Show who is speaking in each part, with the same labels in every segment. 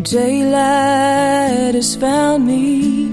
Speaker 1: Daylight has found me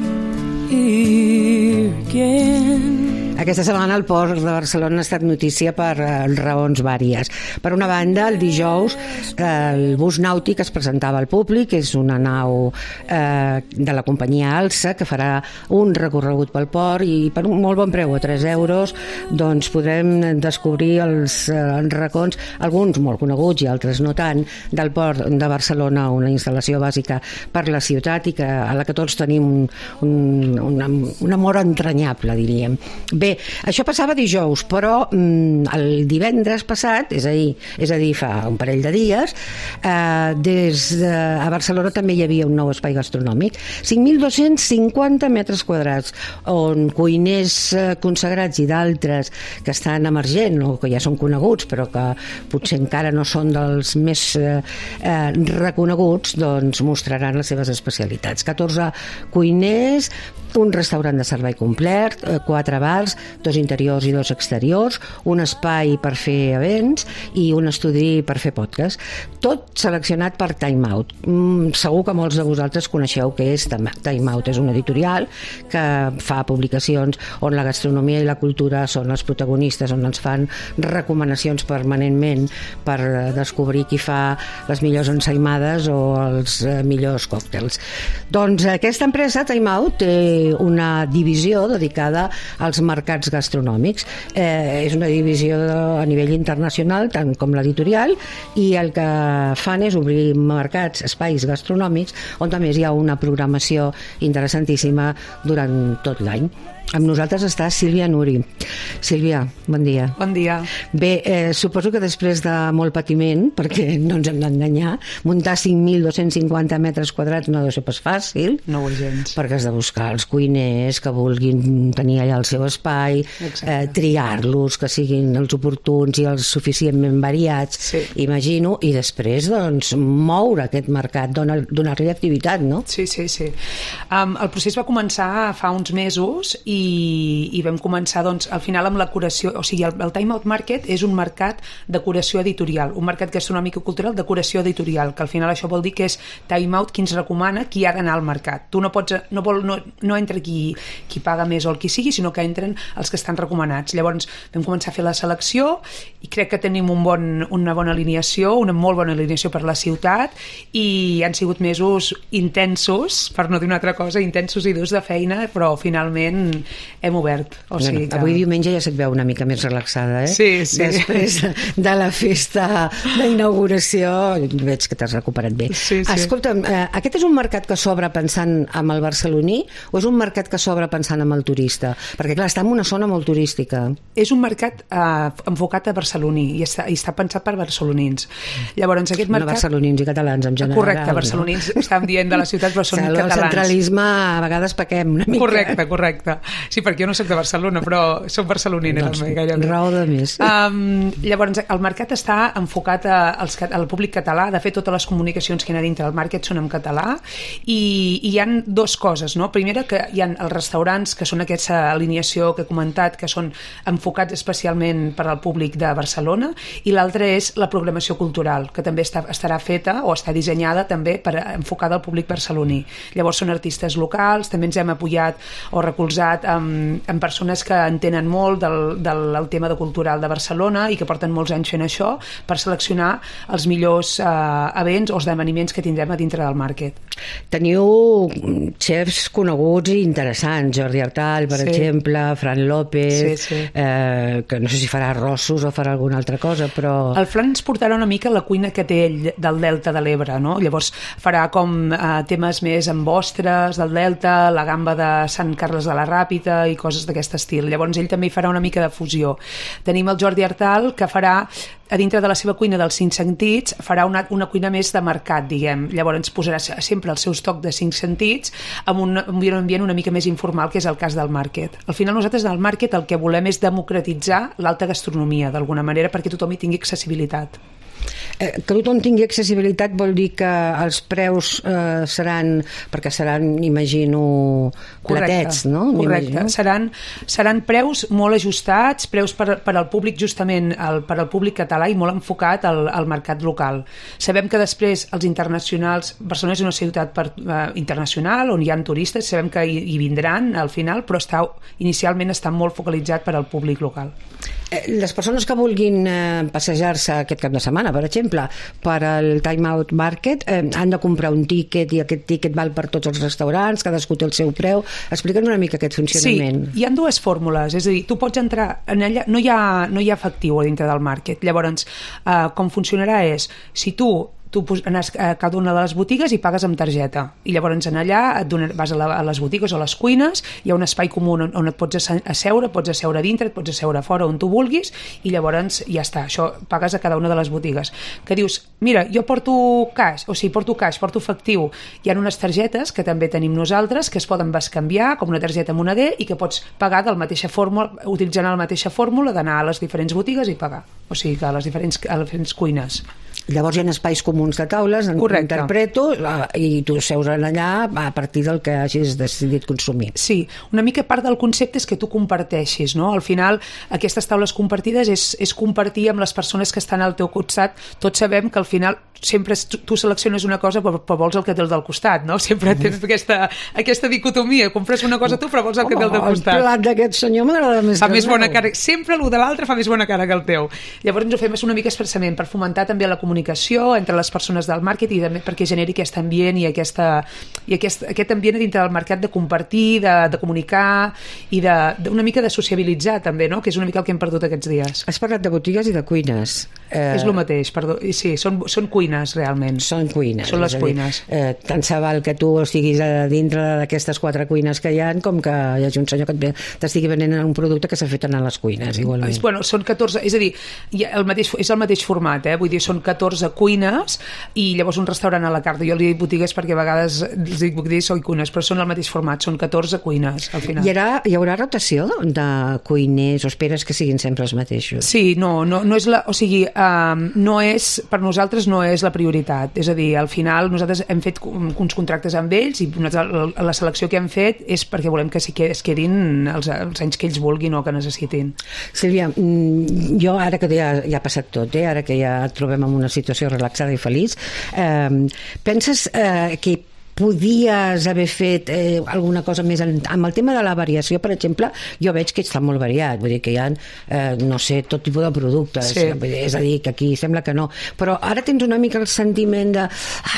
Speaker 1: here again.
Speaker 2: Aquesta setmana el port de Barcelona ha estat notícia per raons vàries. Per una banda, el dijous el bus nàutic es presentava al públic, és una nau de la companyia Alsa que farà un recorregut pel port i per un molt bon preu, a 3 euros, doncs podrem descobrir els racons, alguns molt coneguts i altres no tant, del port de Barcelona, una instal·lació bàsica per la ciutat i a la que tots tenim un amor entranyable, diríem. Bé, això passava dijous, però el divendres passat, és a dir, fa un parell de dies, a Barcelona també hi havia un nou espai gastronòmic, 5.250 metres quadrats, on cuiners consagrats i d'altres que estan emergent o que ja són coneguts, però que potser encara no són dels més reconeguts, doncs mostraran les seves especialitats. 14 cuiners, un restaurant de servei complet, 4 bars, 2 interiors i 2 exteriors, un espai per fer events i un estudi per fer podcast. Tot seleccionat per Time Out. Segur que molts de vosaltres coneixeu què és Time Out. És una editorial que fa publicacions on la gastronomia i la cultura són els protagonistes, on ens fan recomanacions permanentment per descobrir qui fa les millors ensaïmades o els millors còctels. Doncs aquesta empresa, Time Out, té una divisió dedicada als mercats gastronòmics. És una divisió a nivell internacional, tant com l'editorial, i el que fan és obrir mercats, espais gastronòmics, on també hi ha una programació interessantíssima durant tot l'any. Amb nosaltres està Sílvia Nuri. Sílvia, bon dia.
Speaker 3: Bon dia.
Speaker 2: Bé, suposo que després de molt patiment, perquè no ens hem d'enganyar, muntar 5.250 metres quadrats no deu ser pas fàcil.
Speaker 3: No ho és gens.
Speaker 2: Perquè has de buscar els cuiners que vulguin tenir allà el seu espai, triar-los, que siguin els oportuns i els suficientment variats, sí. Imagino, i després, doncs, moure aquest mercat, donar-li activitat, no?
Speaker 3: Sí. El procés va començar fa uns mesos i vam començar, doncs, al final amb la curació, o sigui, el Time Out Market és un mercat de curació editorial, un mercat gastronòmic i cultural de curació editorial, que al final això vol dir que és Time Out qui ens recomana qui ha d'anar al mercat. Tu no entra qui paga més o el qui sigui, sinó que entren els que estan recomanats. Llavors vam començar a fer la selecció i crec que tenim una bona alineació, una molt bona alineació per la ciutat, i han sigut mesos intensos, per no dir una altra cosa, intensos i durs de feina, però finalment hem obert.
Speaker 2: Avui diumenge ja se't veu una mica més relaxada, eh?
Speaker 3: Sí.
Speaker 2: Després de la festa d'inauguració veig que t'has recuperat bé.
Speaker 3: Sí.
Speaker 2: Escolta'm, aquest és un mercat que s'obre pensant en el barceloní o és un mercat que s'obre pensant en el turista? Perquè clar, està en una zona molt turística.
Speaker 3: És un mercat enfocat a barceloní i està pensat per barcelonins. Llavors aquest mercat...
Speaker 2: No barcelonins i catalans en general.
Speaker 3: Correcte, barcelonins, no? Estàvem dient de la ciutat, però són catalans.
Speaker 2: El centralisme a vegades pequem una mica.
Speaker 3: Correcte. Sí, perquè jo no soc de Barcelona, però soc barcelonina.
Speaker 2: Doncs, raó de més.
Speaker 3: Llavors, el mercat està enfocat al públic català. De fet, totes les comunicacions que hi ha dintre del market són en català, i hi ha 2 coses, no? Primera, que hi ha els restaurants, que són aquesta alineació que he comentat, que són enfocats especialment per al públic de Barcelona, i l'altra és la programació cultural, que també estarà feta o està dissenyada també enfocada al públic barceloní. Llavors són artistes locals, també ens hem apoyat o recolzat amb persones que entenen molt del tema de cultural de Barcelona i que porten molts anys fent això per seleccionar els millors events o esdeveniments que tindrem a dintre del market.
Speaker 2: Teniu xefs coneguts i interessants, Jordi Artal, per exemple, Fran López, que no sé si farà arrossos o farà alguna altra cosa, però...
Speaker 3: El Fran ens portarà una mica la cuina que té ell del Delta de l'Ebre, no? Llavors farà com temes més amb ostres del Delta, la gamba de Sant Carles de la Ràpita i coses d'aquest estil. Llavors ell també hi farà una mica de fusió. Tenim el Jordi Artal, que farà a dintre de la seva cuina dels 5 sentits, farà una cuina més de mercat, diguem. Llavors ens posarà sempre els seus tocs de 5 sentits amb un ambient una mica més informal, que és el cas del market. Al final nosaltres del market el que volem és democratitzar l'alta gastronomia d'alguna manera perquè tothom hi tingui accessibilitat.
Speaker 2: Que tothom tingui accessibilitat vol dir que els preus seran, perquè seran, imagino, platets, no?
Speaker 3: Correcte, seran preus molt ajustats, preus per al públic, justament per al públic català i molt enfocat al mercat local. Sabem que després els internacionals, Barcelona és una ciutat internacional on hi ha turistes, sabem que hi vindran al final, però inicialment està molt focalitzat per al públic local.
Speaker 2: Les persones que vulguin passejar-se aquest cap de setmana, per exemple, per al Time Out Market, han de comprar un tíquet i aquest tíquet val per tots els restaurants, cadascú té el seu preu. Explica'ns una mica aquest funcionament.
Speaker 3: Sí, hi ha dues fórmules, és a dir, tu pots entrar en allà, no hi ha efectiu a dintre del market. Llavors, com funcionarà és, si tu anes a cada una de les botigues i pagues amb targeta, i llavors en allà vas a les botigues o a les cuines, hi ha un espai comú on et pots asseure, dintre, et pots asseure fora on tu vulguis, i llavors ja està, això pagues a cada una de les botigues. Que dius, mira, jo porto cash, porto efectiu, hi ha unes targetes que també tenim nosaltres que es poden bescanviar com una targeta moneder i que pots pagar utilitzant la mateixa fórmula d'anar a les diferents botigues i pagar, o sigui que a les diferents cuines.
Speaker 2: Llavors hi ha espais comuns de taules, interpreto, i tu seus allà a partir del que hagis decidit consumir.
Speaker 3: Sí, una mica part del concepte és que tu comparteixis, no? Al final, aquestes taules compartides és compartir amb les persones que estan al teu costat. Tots sabem que al final sempre tu selecciones una cosa però vols el que té el del costat, no? Sempre tens aquesta dicotomia, compres una cosa tu però vols el que té el del costat.
Speaker 2: El plat d'aquest senyor m'agrada més
Speaker 3: que el meu. Bona cara, sempre el de l'altre fa més bona cara que el teu. Llavors ens ho fem una mica expressament per fomentar també la comunicació entre les persones del màrqueting i també perquè generi aquest ambient i aquest ambient dintre del mercat de compartir, de comunicar i d'una mica de sociabilitzar també, no? Que és una mica el que hem perdut aquests dies.
Speaker 2: Has parlat de botigues i de cuines.
Speaker 3: És el mateix, perdó. Sí, són cuines realment.
Speaker 2: Són cuines.
Speaker 3: Són les cuines.
Speaker 2: Tant se val que tu estiguis a dintre d'aquestes 4 cuines que hi ha com que hi hagi un senyor que t'estigui venent un producte que s'ha fet anar a les cuines, igualment.
Speaker 3: Bueno, són 14, és a dir, és el mateix format, vull dir, són 14 cuines i llavors un restaurant a la carta. Jo li dic botigues perquè a vegades els dic botigues i cuines, però són el mateix format, són 14 cuines al final.
Speaker 2: Hi haurà rotació de cuiners o esperes que siguin sempre els mateixos?
Speaker 3: Sí, no és no és, per nosaltres no és la prioritat, és a dir, al final nosaltres hem fet uns contractes amb ells i la selecció que hem fet és perquè volem que es quedin els anys que ells vulguin o que necessitin.
Speaker 2: Sílvia, jo ara que ja ha passat tot, ara que ja et trobem en una situació relaxada i feliç, penses que podies haver fet alguna cosa més amb el tema de la variació, per exemple? Jo veig que està molt variat, vull dir que hi ha no sé, tot tipus de productes, sí. És a dir, que aquí sembla que no, però ara tens una mica el sentiment de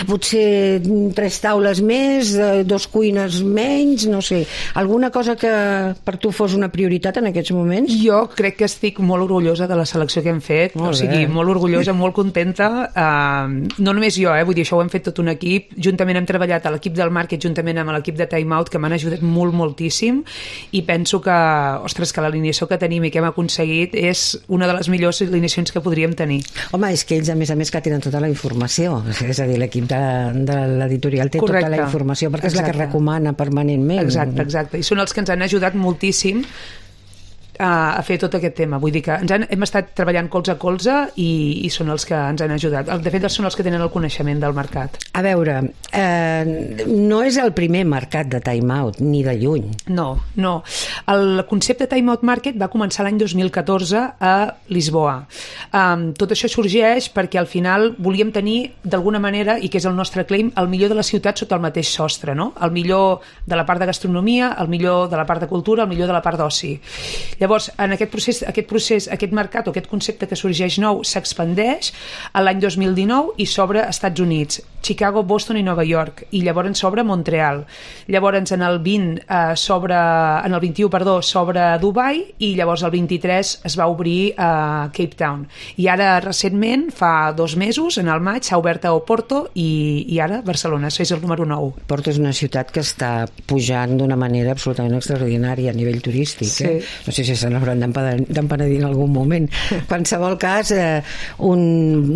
Speaker 2: potser 3 taules més, 2 cuines menys, no sé, alguna cosa que per tu fos una prioritat en aquests moments?
Speaker 3: Jo crec que estic molt orgullosa de la selecció que hem fet, molt orgullosa, molt contenta, no només jo, vull dir, això ho hem fet tot un equip, juntament hem treballat a l'equip del Market juntament amb l'equip de Time Out que m'han ajudat moltíssim i penso que, que l'alineació que tenim i que hem aconseguit és una de les millors alineacions que podríem tenir.
Speaker 2: Home, és que ells a més que tenen tota la informació, és a dir, l'equip de l'editorial té tota la informació perquè és la que recomana permanentment.
Speaker 3: Exacte, i són els que ens han ajudat moltíssim a fer tot aquest tema, vull dir que hem estat treballant colze a colze i són els que ens han ajudat, de fet són els que tenen el coneixement del mercat.
Speaker 2: A veure, no és el primer mercat de Time Out, ni de lluny.
Speaker 3: No, el concepte Time Out Market va començar l'any 2014 a Lisboa. Tot això sorgeix perquè al final volíem tenir d'alguna manera, i que és el nostre claim, el millor de la ciutat sota el mateix sostre, no? El millor de la part de gastronomia, el millor de la part de cultura, el millor de la part d'oci. Llavors, en aquest mercat o aquest concepte que sorgeix nou s'expandeix l'any 2019 i s'obre a Estats Units, Chicago, Boston i Nova York, i llavors s'obre Montreal. Llavors en el 21 s'obre Dubai i llavors el 23 es va obrir a Cape Town. I ara recentment, fa 2 mesos, en el maig, s'ha obert a Oporto i ara Barcelona, això és el número 9.
Speaker 2: Oporto és una ciutat que està pujant d'una manera absolutament extraordinària a nivell turístic.
Speaker 3: Sí.
Speaker 2: No sé si sé si se n'hauran d'empenedir en algun moment. Qualsevol cas, un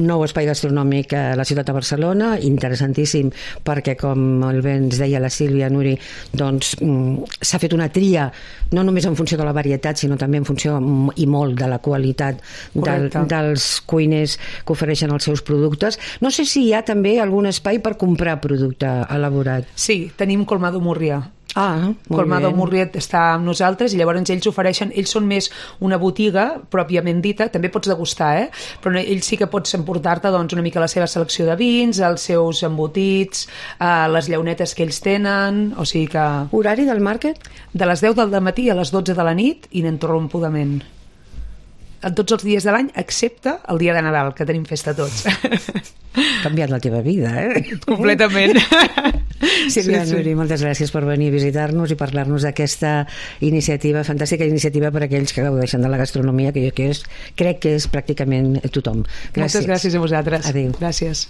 Speaker 2: nou espai gastronòmic a la ciutat de Barcelona, interessantíssim, perquè, com el bé ens deia la Sílvia Nuri, doncs s'ha fet una tria, no només en funció de la varietat, sinó també en funció i molt de la qualitat dels cuiners que ofereixen els seus productes. No sé si hi ha també algun espai per comprar producte elaborat.
Speaker 3: Sí, tenim Colmado Murrià.
Speaker 2: Colmado
Speaker 3: Murrià està amb nosaltres i llavors ells ofereixen, ells són més una botiga pròpiament dita, també pots degustar, però ells sí que pots emportar-te doncs, una mica la seva selecció de vins, els seus embotits, les llaunetes que ells tenen, o sigui que...
Speaker 2: Horari del màrquet?
Speaker 3: De les 10 del matí a les 12 de la nit, ininterrompudament. Tots els dies de l'any, excepte el dia de Nadal, que tenim festa tots.
Speaker 2: Ha canviat la teva vida,
Speaker 3: Completament.
Speaker 2: Sílvia Nuri, moltes gràcies per venir a visitar-nos i parlar-nos d'aquesta iniciativa, fantàstica iniciativa per a aquells que gaudeixen de la gastronomia, que jo crec que és pràcticament tothom.
Speaker 3: Moltes gràcies a vosaltres.
Speaker 2: Adéu.
Speaker 3: Gràcies.